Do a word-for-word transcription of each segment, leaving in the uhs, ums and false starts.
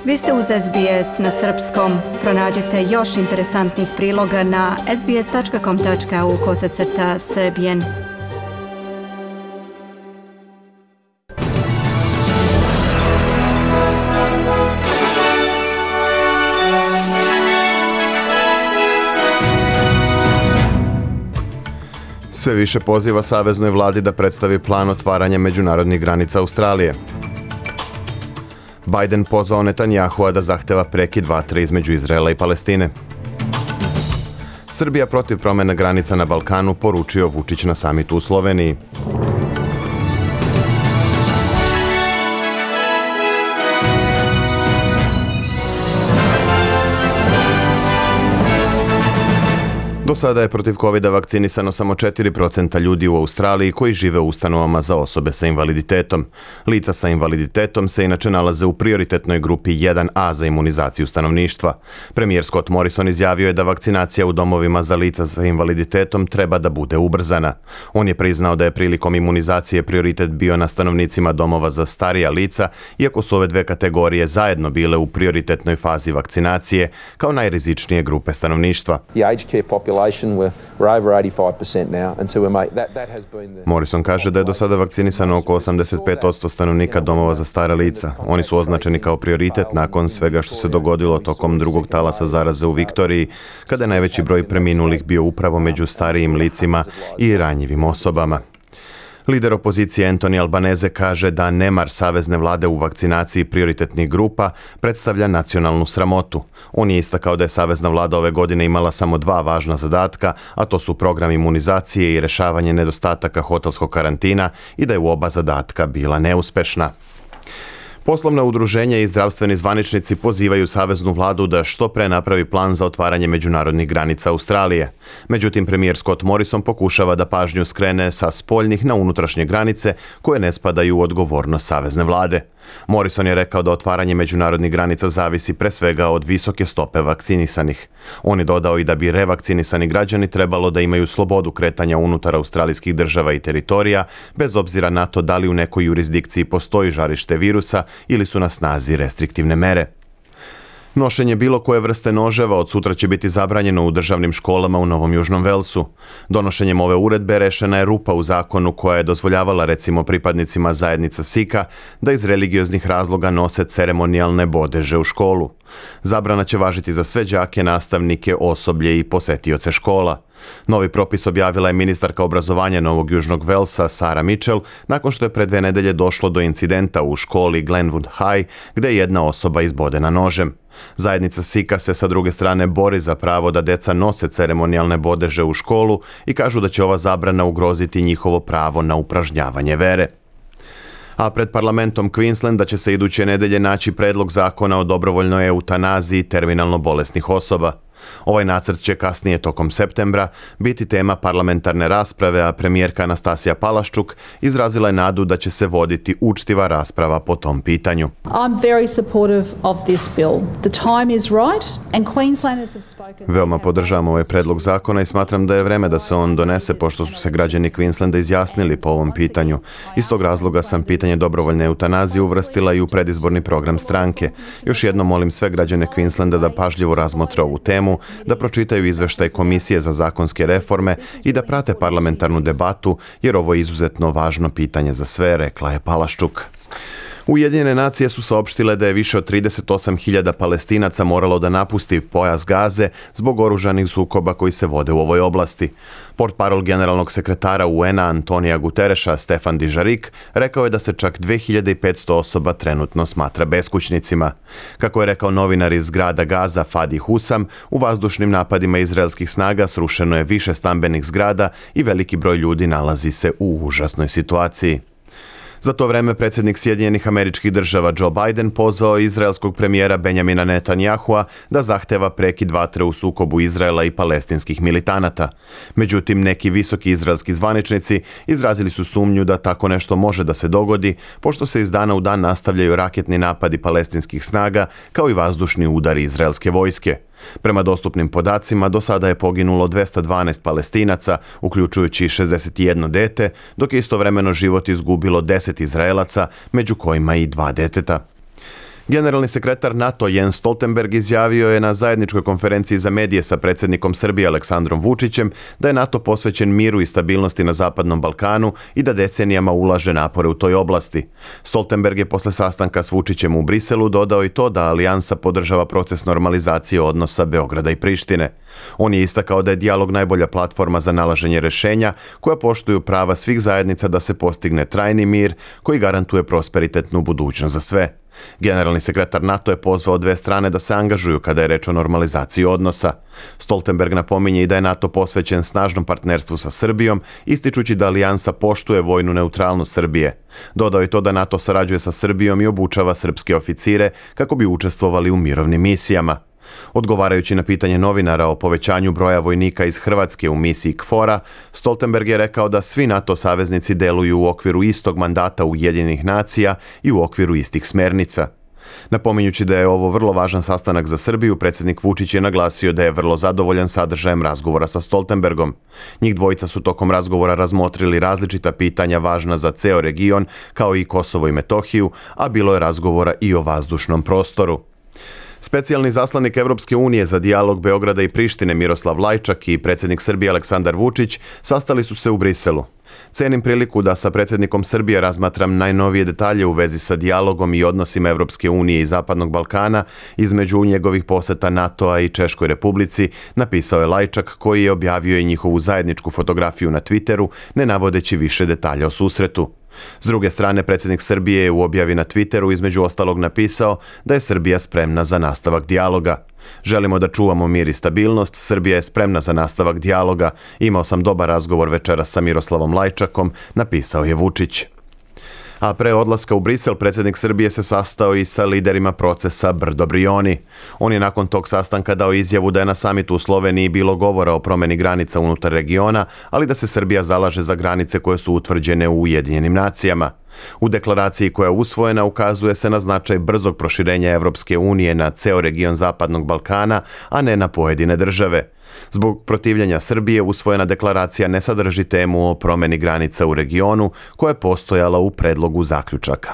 Vi ste uz S B S na srpskom. Pronađite još interesantnih priloga na sbs.com.au kosacrta srbijen. Sve više poziva saveznoj vladi da predstavi plan otvaranja međunarodnih granica Australije. Biden pozvao Netanjahua da zahteva prekid vatre između Izraela i Palestine. Srbija protiv promjene granica na Balkanu, poručio Vučić na samitu u Sloveniji. Do sada je protiv kovida vakcinisano samo četiri procenta ljudi u Australiji koji žive u ustanovama za osobe sa invaliditetom. Lica sa invaliditetom se inače nalaze u prioritetnoj grupi jedan A za imunizaciju stanovništva. Premijer Scott Morrison izjavio je da vakcinacija u domovima za lica sa invaliditetom treba da bude ubrzana. On je priznao da je prilikom imunizacije prioritet bio na stanovnicima domova za starija lica, iako su ove dve kategorije zajedno bile u prioritetnoj fazi vakcinacije kao najrizičnije grupe stanovništva. Morrison kaže da je do sada vakcinisano oko osamdeset pet posto stanovnika domova za stara lica. Oni su označeni kao prioritet nakon svega što se dogodilo tokom drugog talasa zaraze u Viktoriji, kada je najveći broj preminulih bio upravo među starijim licima i ranjivim osobama. Lider opozicije Anthony Albanese kaže da nemar savezne vlade u vakcinaciji prioritetnih grupa predstavlja nacionalnu sramotu. On je istakao da je savezna vlada ove godine imala samo dva važna zadatka, a to su program imunizacije i rešavanje nedostataka hotelskog karantina i da je u oba zadatka bila neuspešna. Poslovna udruženja i zdravstveni zvaničnici pozivaju saveznu vladu da što pre napravi plan za otvaranje međunarodnih granica Australije. Međutim, premijer Scott Morrison pokušava da pažnju skrene sa spoljnih na unutrašnje granice koje ne spadaju u odgovornost savezne vlade. Morrison je rekao da otvaranje međunarodnih granica zavisi pre svega od visoke stope vakcinisanih. On je dodao i da bi revakcinisani građani trebalo da imaju slobodu kretanja unutar australijskih država i teritorija, bez obzira na to da li u nekoj jurisdikciji postoji žarište virusa ili su na snazi restriktivne mere. Nošenje bilo koje vrste noževa od sutra će biti zabranjeno u državnim školama u Novom Južnom Velsu. Donošenjem ove uredbe rešena je rupa u zakonu koja je dozvoljavala recimo pripadnicima zajednica Sika da iz religioznih razloga nose ceremonijalne bodeže u školu. Zabrana će važiti za sve đake, nastavnike, osoblje i posetioce škola. Novi propis objavila je ministarka obrazovanja Novog Južnog Velsa Sarah Mitchell nakon što je pre dve nedelje došlo do incidenta u školi Glenwood High gde je jedna osoba izbodena nožem. Zajednica Sika se sa druge strane bori za pravo da deca nose ceremonijalne bodeže u školu i kažu da će ova zabrana ugroziti njihovo pravo na upražnjavanje vere. A pred parlamentom Queenslanda će se iduće nedelje naći predlog zakona o dobrovoljnoj eutanaziji terminalno bolesnih osoba. Ovaj nacrt će kasnije tokom septembra biti tema parlamentarne rasprave, a premijerka Anastasija Palaščuk izrazila je nadu da će se voditi učtiva rasprava po tom pitanju. I'm very supportive of this bill. The time is right and Queenslanders have spoken. Veoma podržavam ovaj predlog zakona i smatram da je vreme da se on donese pošto su se građani Queenslanda izjasnili po ovom pitanju. Iz tog razloga sam pitanje dobrovoljne eutanazije uvrstila i u predizborni program stranke. Još jednom molim sve građane Queenslanda da pažljivo razmotre ovu temu, da pročitaju izveštaj Komisije za zakonske reforme i da prate parlamentarnu debatu, jer ovo je izuzetno važno pitanje za sve, rekla je Palaščuk. Ujedinjene nacije su saopštile da je više od trideset osam hiljada Palestinaca moralo da napusti pojas Gaze zbog oružanih sukoba koji se vode u ovoj oblasti. Portparol generalnog sekretara U N-a Antonija Gutereša Stefan Dižarik rekao je da se čak dve hiljade petsto osoba trenutno smatra beskućnicima. Kako je rekao novinar iz grada Gaza Fadi Husam, u vazdušnim napadima izraelskih snaga srušeno je više stambenih zgrada i veliki broj ljudi nalazi se u užasnoj situaciji. Za to vreme predsjednik Sjedinjenih Američkih Država Joe Biden pozvao izraelskog premijera Benjamina Netanjahua da zahteva prekid vatre u sukobu Izraela i palestinskih militanata. Međutim, neki visoki izraelski zvaničnici izrazili su sumnju da tako nešto može da se dogodi, pošto se iz dana u dan nastavljaju raketni napadi palestinskih snaga kao i vazdušni udari izraelske vojske. Prema dostupnim podacima, do sada je poginulo dvesta dvanaest Palestinaca, uključujući šezdeset jedno dete, dok je istovremeno život izgubilo deset Izraelaca, među kojima i dva deteta. Generalni sekretar NATO Jens Stoltenberg izjavio je na zajedničkoj konferenciji za medije sa predsjednikom Srbije Aleksandrom Vučićem da je NATO posvećen miru i stabilnosti na Zapadnom Balkanu i da decenijama ulaže napore u toj oblasti. Stoltenberg je posle sastanka s Vučićem u Briselu dodao i to da alijansa podržava proces normalizacije odnosa Beograda i Prištine. On je istakao da je dijalog najbolja platforma za nalaženje rešenja koja poštuju prava svih zajednica da se postigne trajni mir koji garantuje prosperitetnu budućnost za sve. Generalni sekretar NATO je pozvao dve strane da se angažuju kada je reč o normalizaciji odnosa. Stoltenberg napominje i da je NATO posvećen snažnom partnerstvu sa Srbijom, ističući da alijansa poštuje vojnu neutralnost Srbije. Dodao je to da NATO sarađuje sa Srbijom i obučava srpske oficire kako bi učestvovali u mirovnim misijama. Odgovarajući na pitanje novinara o povećanju broja vojnika iz Hrvatske u misiji KFOR-a, Stoltenberg je rekao da svi NATO saveznici deluju u okviru istog mandata Ujedinjenih nacija i u okviru istih smernica. Napominjući da je ovo vrlo važan sastanak za Srbiju, predsjednik Vučić je naglasio da je vrlo zadovoljan sadržajem razgovora sa Stoltenbergom. Njih dvojica su tokom razgovora razmotrili različita pitanja važna za ceo region, kao i Kosovo i Metohiju, a bilo je razgovora i o vazdušnom prostoru. Specijalni zaslanik Evropske unije za dijalog Beograda i Prištine Miroslav Lajčak i predsjednik Srbije Aleksandar Vučić sastali su se u Briselu. Cenim priliku da sa predsjednikom Srbije razmatram najnovije detalje u vezi sa dijalogom i odnosima Evropske unije i Zapadnog Balkana između njegovih poseta NATO-a i Češkoj Republici, napisao je Lajčak, koji je objavio i njihovu zajedničku fotografiju na Twitteru, ne navodeći više detalja o susretu. S druge strane, predsjednik Srbije je u objavi na Twitteru između ostalog napisao da je Srbija spremna za nastavak dijaloga. Želimo da čuvamo mir i stabilnost, Srbija je spremna za nastavak dijaloga. Imao sam dobar razgovor večeras sa Miroslavom Lajčakom, napisao je Vučić. A pre odlaska u Brisel, predsjednik Srbije se sastao i sa liderima procesa Brdo Brioni. On je nakon tog sastanka dao izjavu da je na samitu u Sloveniji bilo govora o promjeni granica unutar regiona, ali da se Srbija zalaže za granice koje su utvrđene u Ujedinjenim nacijama. U deklaraciji koja je usvojena ukazuje se na značaj brzog proširenja Evropske unije na ceo region Zapadnog Balkana, a ne na pojedine države. Zbog protivljenja Srbije usvojena deklaracija ne sadrži temu o promjeni granica u regionu koja je postojala u predlogu zaključaka.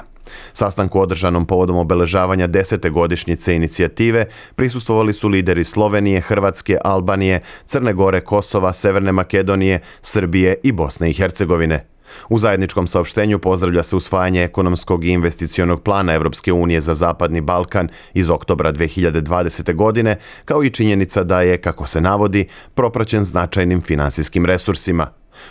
Sastanku održanom povodom obeležavanja desete godišnjice inicijative prisustvovali su lideri Slovenije, Hrvatske, Albanije, Crne Gore, Kosova, Severne Makedonije, Srbije i Bosne i Hercegovine. U zajedničkom saopštenju pozdravlja se usvajanje ekonomskog i investicionog plana Evropske unije za Zapadni Balkan iz oktobra dve hiljade dvadesete. godine, kao i činjenica da je, kako se navodi, propraćen značajnim finansijskim resursima.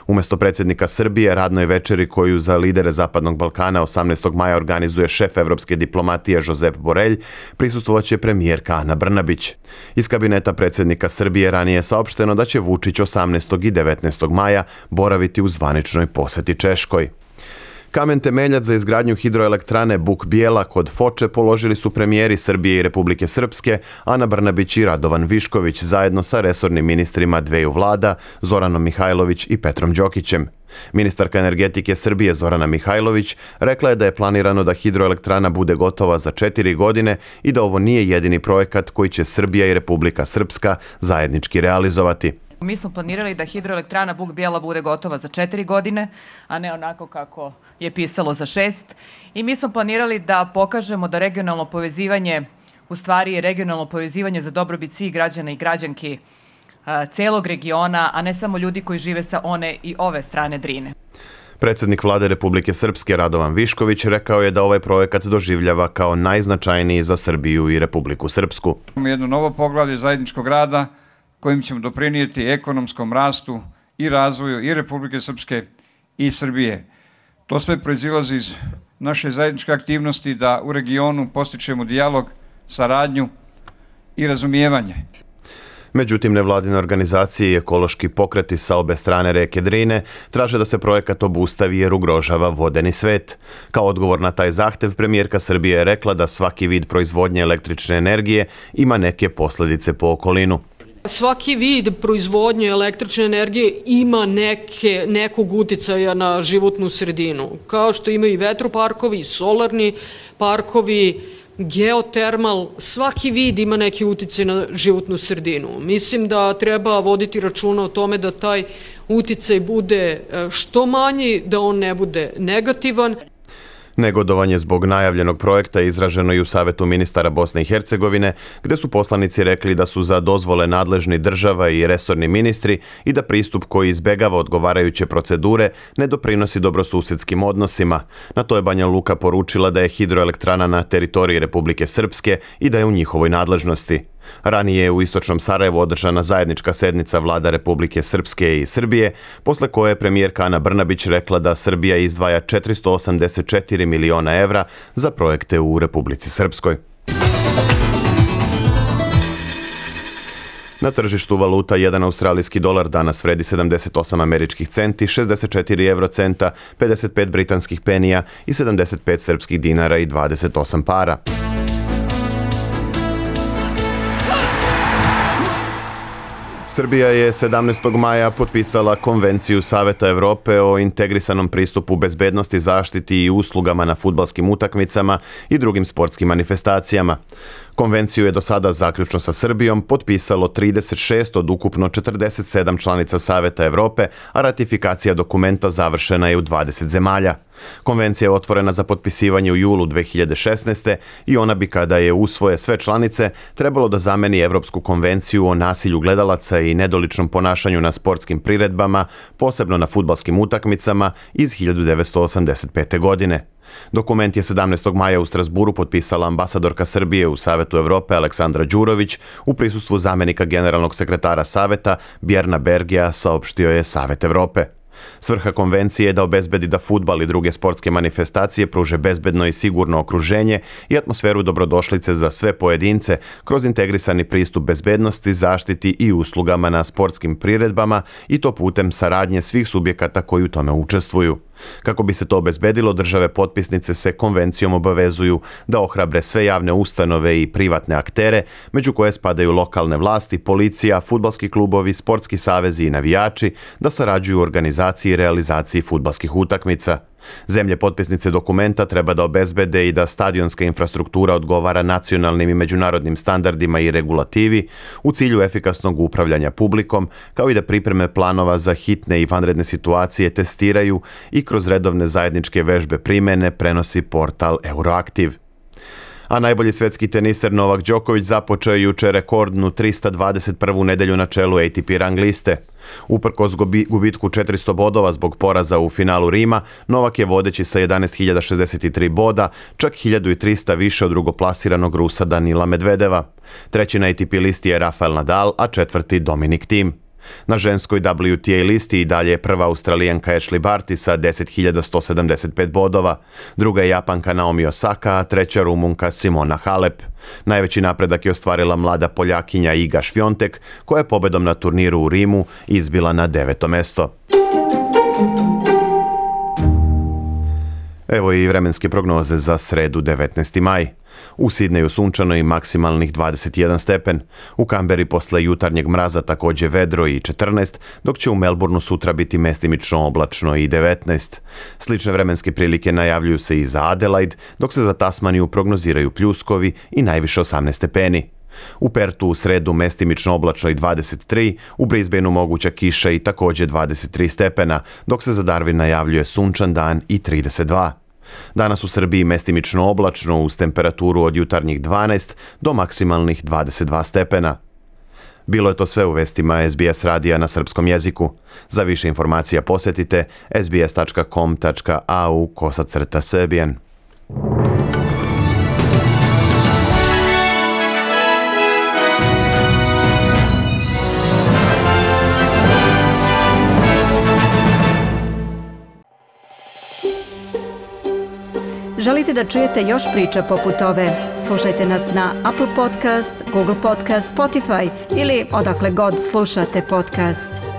Umjesto predsjednika Srbije, radnoj večeri koju za lidere Zapadnog Balkana osamnaestog maja organizuje šef evropske diplomatije Josep Borelj, prisustvovaće premijerka Ana Brnabić. Iz kabineta predsjednika Srbije ranije je saopšteno da će Vučić osamnaestog i devetnaestog maja boraviti u zvaničnoj poseti Češkoj. Kamen temeljac za izgradnju hidroelektrane Buk Bijela kod Foče položili su premijeri Srbije i Republike Srpske, Ana Brnabić i Radovan Višković, zajedno sa resornim ministrima dveju vlada, Zoranom Mihajlović i Petrom Đokićem. Ministarka energetike Srbije Zorana Mihajlović rekla je da je planirano da hidroelektrana bude gotova za četiri godine i da ovo nije jedini projekat koji će Srbija i Republika Srpska zajednički realizovati. Mi smo planirali da hidroelektrana Buk Bijela bude gotova za četiri godine, a ne onako kako je pisalo za šest. I mi smo planirali da pokažemo da regionalno povezivanje u stvari je regionalno povezivanje za dobrobit svih građana i građanki a, celog regiona, a ne samo ljudi koji žive sa one i ove strane Drine. Predsjednik vlade Republike Srpske Radovan Višković rekao je da ovaj projekat doživljava kao najznačajniji za Srbiju i Republiku Srpsku. Imamo jedno novo poglavlje zajedničkog rada kojim ćemo doprinijeti ekonomskom rastu i razvoju i Republike Srpske i Srbije. To sve proizilazi iz naše zajedničke aktivnosti da u regionu postičemo dijalog, saradnju i razumijevanje. Međutim, nevladine organizacije i ekološki pokreti sa obe strane reke Drine traže da se projekat obustavi jer ugrožava vodeni svet. Kao odgovor na taj zahtev, premijerka Srbije je rekla da svaki vid proizvodnje električne energije ima neke posljedice po okolinu. Svaki vid proizvodnje električne energije ima neke, nekog uticaja na životnu sredinu, kao što imaju i vetroparkovi, solarni parkovi, geotermal, svaki vid ima neki uticaj na životnu sredinu. Mislim da treba voditi računa o tome da taj uticaj bude što manji, da on ne bude negativan. Negodovanje zbog najavljenog projekta je izraženo i u Savetu ministara Bosne i Hercegovine, gde su poslanici rekli da su za dozvole nadležni država i resorni ministri i da pristup koji izbegava odgovarajuće procedure ne doprinosi dobrosusedskim odnosima. Na to je Banja Luka poručila da je hidroelektrana na teritoriji Republike Srpske i da je u njihovoj nadležnosti. Ranije je u istočnom Sarajevu održana zajednička sednica vlada Republike Srpske i Srbije, posle koje je premijerka Ana Brnabić rekla da Srbija izdvaja četiristo osamdeset četiri miliona evra za projekte u Republici Srpskoj. Na tržištu valuta jedan australijski dolar danas vredi sedamdeset osam američkih centi, šezdeset četiri evrocenta, pedeset pet britanskih penija i sedamdeset pet srpskih dinara i dvadeset osam para. Srbija je sedamnaestog maja potpisala Konvenciju Saveta Evrope o integrisanom pristupu bezbednosti, zaštiti i uslugama na fudbalskim utakmicama i drugim sportskim manifestacijama. Konvenciju je do sada zaključno sa Srbijom potpisalo trideset šest od ukupno četrdeset sedam članica Saveta Evrope, a ratifikacija dokumenta završena je u dvadeset zemalja. Konvencija je otvorena za potpisivanje u julu dve hiljade šesnaeste. i ona bi, kada je usvoje sve članice, trebalo da zameni Evropsku konvenciju o nasilju gledalaca i nedoličnom ponašanju na sportskim priredbama, posebno na fudbalskim utakmicama iz hiljadu devetsto osamdeset pete. godine. Dokument je sedamnaestog maja u Strasburu potpisala ambasadorka Srbije u Savetu Evrope Aleksandra Đurović u prisustvu zamenika generalnog sekretara Saveta Bjerna Bergija, saopštio je Savet Evrope. Svrha konvencije je da obezbedi da fudbal i druge sportske manifestacije pruže bezbedno i sigurno okruženje i atmosferu dobrodošlice za sve pojedince kroz integrisani pristup bezbednosti, zaštiti i uslugama na sportskim priredbama i to putem saradnje svih subjekata koji u tome učestvuju. Kako bi se to obezbedilo, države potpisnice se konvencijom obavezuju da ohrabre sve javne ustanove i privatne aktere, među koje spadaju lokalne vlasti, policija, fudbalski klubovi, sportski savezi i navijači, da sarađuju u organizaciji i realizaciji fudbalskih utakmica. Zemlje potpisnice dokumenta treba da obezbede i da stadionska infrastruktura odgovara nacionalnim i međunarodnim standardima i regulativi u cilju efikasnog upravljanja publikom, kao i da pripreme planova za hitne i vanredne situacije testiraju i kroz redovne zajedničke vežbe primene prenosi portal Euroaktiv. A najbolji svetski teniser Novak Đoković započeo je juče rekordnu trista dvadeset prvu nedelju na čelu A T P rang liste. Uprkos gubitku četiristo bodova zbog poraza u finalu Rima, Novak je vodeći sa jedanaest hiljada šezdeset tri boda, čak hiljadu trista više od drugoplasiranog Rusa Danila Medvedeva. Treći na A T P listi je Rafael Nadal, a četvrti Dominic Thiem. Na ženskoj W T A listi i dalje je prva Australijanka Ashley Barty sa deset hiljada sto sedamdeset pet bodova, druga je Japanka Naomi Osaka, a treća Rumunka Simona Halep. Najveći napredak je ostvarila mlada Poljakinja Iga Świątek, koja je pobedom na turniru u Rimu izbila na deveto mesto. Evo i vremenske prognoze za sredu devetnaesti maj. U Sidneju sunčano i maksimalnih dvadeset jedan stepen. U Kamberi posle jutarnjeg mraza takođe vedro i četrnaest, dok će u Melbourneu sutra biti mestimično oblačno i devetnaest. Slične vremenske prilike najavljuju se i za Adelaide, dok se za Tasmaniju prognoziraju pljuskovi i najviše osamnaest stepeni. U Pertu u sredu mestimično oblačno i dvadeset tri, u Brisbaneu moguća kiša i takođe dvadeset tri stepena, dok se za Darwin najavljuje sunčan dan i trideset dva. Danas u Srbiji mestimično oblačno uz temperaturu od jutarnjih dvanaest do maksimalnih dvadeset dva stepena. Bilo je to sve u vestima S B S radija na srpskom jeziku. Za više informacija posetite s b s tačka com tačka a u kosacrta Serbian. Želite da čujete još priča poput ove? Slušajte nas na Apple Podcast, Google Podcast, Spotify ili odakle god slušate podcast.